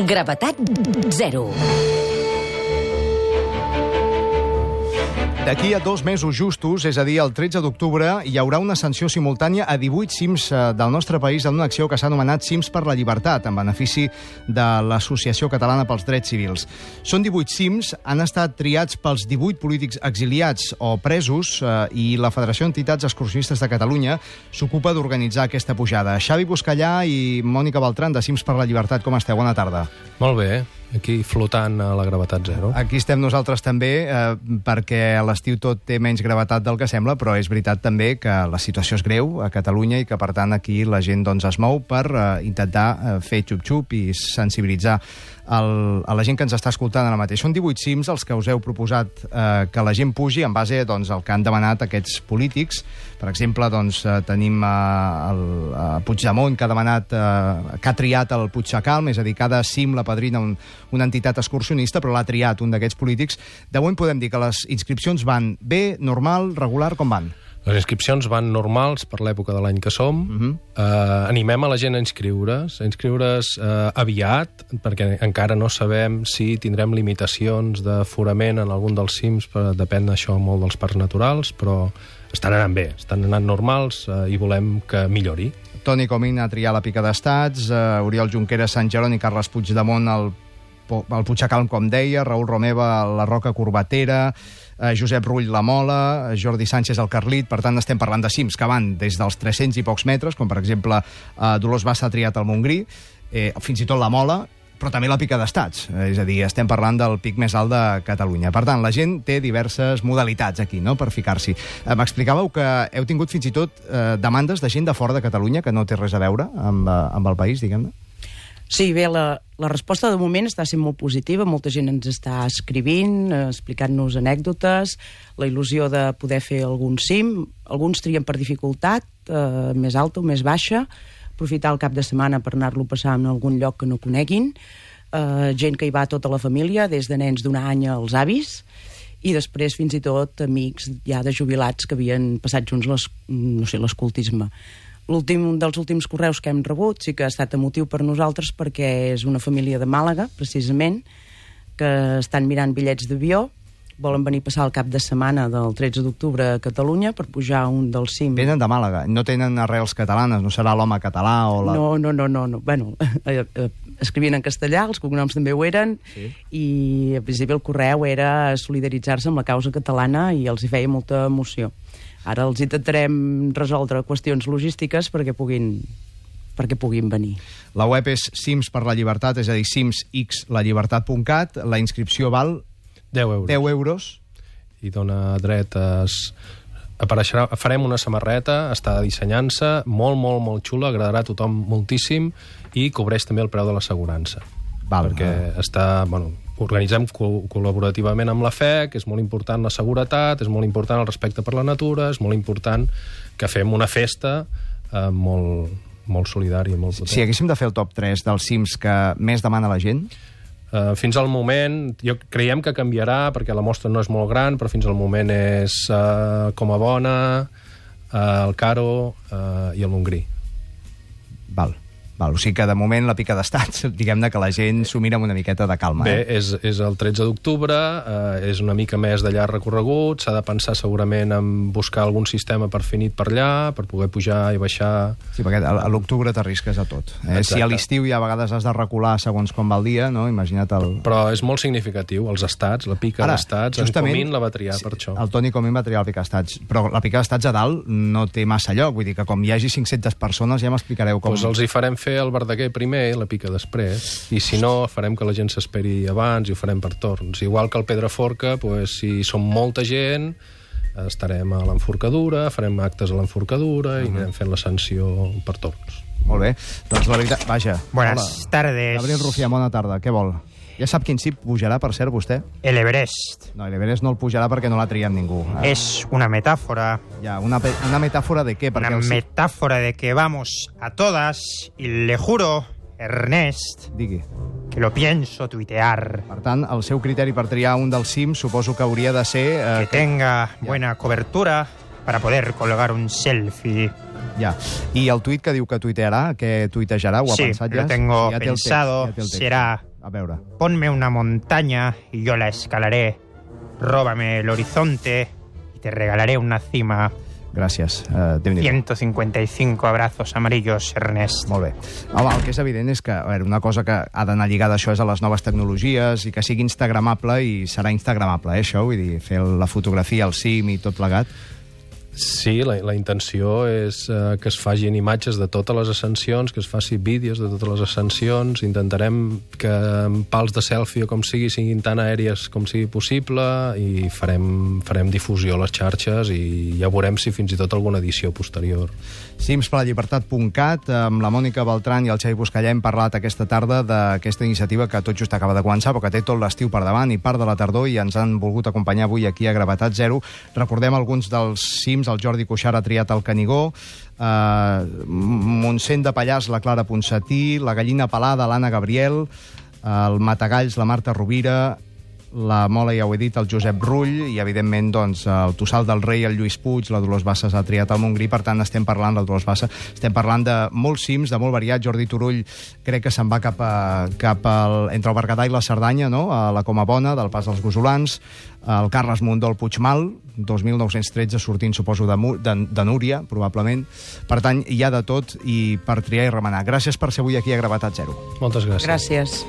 Gravetat zero. D'aquí a 2 mesos justos, és a dir, el 13 d'octubre, hi haurà una sanció simultània a 18 cims del nostre país en una acció que s'ha anomenat Cims per la Llibertat, en benefici de l'Associació Catalana pels Drets Civils. Són 18 cims, han estat triats pels 18 polítics exiliats o presos i la Federació d'Entitats Excursionistes de Catalunya s'ocupa d'organitzar aquesta pujada. Xavi Buscallà i Mònica Beltran, de Cims per la Llibertat, com esteu? Bona tarda. Molt bé, aquí flotant a la gravetat zero. Aquí estem nosaltres també, perquè a l'estiu tot té menys gravetat del que sembla, però és veritat també que la situació és greu a Catalunya i que, per tant, aquí la gent es mou per intentar fer xup-xup i sensibilitzar a la gent que ens està escoltant ara mateix. Són 18 cims els que us heu proposat que la gent pugi en base al que han demanat aquests polítics. Per exemple, tenim el Puigdemont, que ha demanat, que ha triat el Puigdecalm, és a dir, cada cim la padrina una entitat excursionista, però l'ha triat un d'aquests polítics. De moment podem dir que les inscripcions van bé, normal, regular, com van? Les inscripcions van normals per l'època de l'any que som. Animem a la gent a inscriure's aviat, perquè encara no sabem si tindrem limitacions d'aforament en algun dels cims, depèn això molt dels parcs naturals, però estan anant bé, estan anant normals i volem que millori. Toni Comín a triar la Pica d'Estats, Oriol Junqueras, Sant Jeroni, Carles Puigdemont el Puigdecalm, com deia, Raül Romeva la Roca Corbatera, Josep Rull la Mola, Jordi Sánchez el Carlit. Per tant, estem parlant de cims que van des dels 300 i pocs metres, com per exemple Dolors Bassa ha triat el Montgrí, fins i tot la Mola, però també la Pica d'Estats. És a dir, estem parlant del pic més alt de Catalunya. Per tant, la gent té diverses modalitats aquí, no?, per ficar-s'hi. M'explicàveu que heu tingut fins i tot demandes de gent de fora de Catalunya que no té res a veure amb el país, diguem-ne? Sí, bé, la resposta de moment està sent molt positiva. Molta gent ens està escrivint, explicant-nos anècdotes, la il·lusió de poder fer algun cim. Alguns trien per dificultat, més alta o més baixa, aprofitar el cap de setmana per anar-lo a passar en algun lloc que no coneguin, gent que hi va tota la família, des de nens d'un any als avis, i després fins i tot amics ja de jubilats que havien passat junts l'escoltisme. L'últim dels últims correus que hem rebut sí que ha estat emotiu per nosaltres, perquè és una família de Màlaga, precisament, que estan mirant bitllets d'avió, volen venir a passar el cap de setmana del 13 d'octubre a Catalunya per pujar un dels cims. Venen de Màlaga, no tenen arrels catalanes, no serà l'home català o la... No. Bueno, escrivien en castellà, els cognoms també ho eren, sí. I al principi el correu era solidaritzar-se amb la causa catalana i els hi feia molta emoció. Ara els intentarem resoldre qüestions logístiques perquè puguin venir. La web és Cims per la Llibertat, és a dir, cimsllallibertat.cat. La inscripció val 10 euros. I dona dret apareixerà, farem una samarreta, està dissenyant-se, molt xula, agradarà a tothom moltíssim i cobreix també el preu de l'assegurança. Perquè organitzem col·laborativament amb la FEC, és molt important la seguretat, és molt important el respecte per la natura, és molt important que fem una festa molt solidària, molt potent. Si haguéssim de fer el top 3 dels cims que més demana la gent? Fins al moment, creiem que canviarà, perquè la mostra no és molt gran, però fins al moment és Com a Bona, el Caro i el Montgrí. Val. O sigui que, de moment, la Pica d'Estats, diguem-ne que la gent s'ho mira amb una miqueta de calma. Bé, és el 13 d'octubre, és una mica més de llarg recorregut, s'ha de pensar segurament en buscar algun sistema per fer nit per allà, per poder pujar i baixar... Sí, perquè a l'octubre t'arrisques a tot. Si a l'estiu ja a vegades has de recular segons com va el dia, no? Imagina't el... Però és molt significatiu, els estats, la Pica d'Estats, en Comín la va triar per això. El Toni Comín va triar la Pica d'Estats, però la Pica d'Estats a dalt no té massa lloc, vull dir que com hi hagi 500 persones ja m'explicareu com... Doncs els hi farem fer el Verdaguer primer i la Pica després, i si no farem que la gent s'esperi abans i ho farem per torns. Igual que el Pedraforca, si som molta gent estarem a l'enforcadura, farem actes a l'enforcadura i anirem fent la sanció per torns. Molt bé, doncs la veritat... Vaja. Buenas tardes. Gabriel Rufià, bona tarda, què vol? Ja sap quin cim pujarà, per cert, vostè? El Everest. No, el Everest no el pujarà perquè no l'ha triat ningú. Es una metáfora. Ya, una metáfora de qué? Una metáfora de que vamos a todas y le juro, Ernest, digui, que lo pienso tuitear. Per tant, el seu criteri per triar un dels cims suposo que hauria de ser... Que tenga buena cobertura para poder colgar un selfie. Ja. I el tuit que diu que tuitearà, què tuitejarà? Ho ha pensat ja? Lo tengo Sí, ja té el pensado. text, ja té el text. Será, A veure. ponme una montaña y yo la escalaré. Róbame el horizonte y te regalaré una cima. Gràcies. Déu-n'hi-do. 155 abrazos amarillos, Ernest. Molt bé. Home, el que és evident és que, a veure, una cosa que ha d'anar lligada a això és a les noves tecnologies i que sigui instagramable, i serà instagramable, això, vull dir, fer la fotografia, el cim i tot plegat. Sí, la intenció és que es fagin imatges de totes les ascensions, que es faci vídeos de totes les ascensions. Intentarem que pals de selfie o com siguin tan aèries com sigui possible, i farem difusió a les xarxes i ja veurem si fins i tot alguna edició posterior. Cimspelallbertat.cat, amb la Mònica Beltrán i el Xavi Buscallà hem parlat aquesta tarda d'aquesta iniciativa que tot just acaba de començar, però que té tot l'estiu per davant i part de la tardor, i ens han volgut acompanyar avui aquí a Gravetat Zero. Recordem alguns dels cims. El Jordi Cuixart ha triat el Canigó, Montseny de Pallars, la Clara Ponsatí, la Gallina Pelada, l'Anna Gabriel, el Matagalls, la Marta Rovira, la Mola, ja ho he dit, el Josep Rull, i evidentment doncs, el Tossal del Rei, el Lluís Puig, la Dolors Bassa s'ha triat el Montgrí. Per tant, estem parlant de molts cims, de molt variat. Jordi Turull crec que se'n va entre el Berguedà i la Cerdanya, no? A la Coma Bona, del Pas dels Gosolans, el Carles Mundó, el Puigmal, 2.913, sortint, suposo, de Núria, probablement. Per tant, hi ha de tot, i per triar i remenar. Gràcies per ser avui aquí a Gravetat Zero. Moltes gràcies. Gràcies.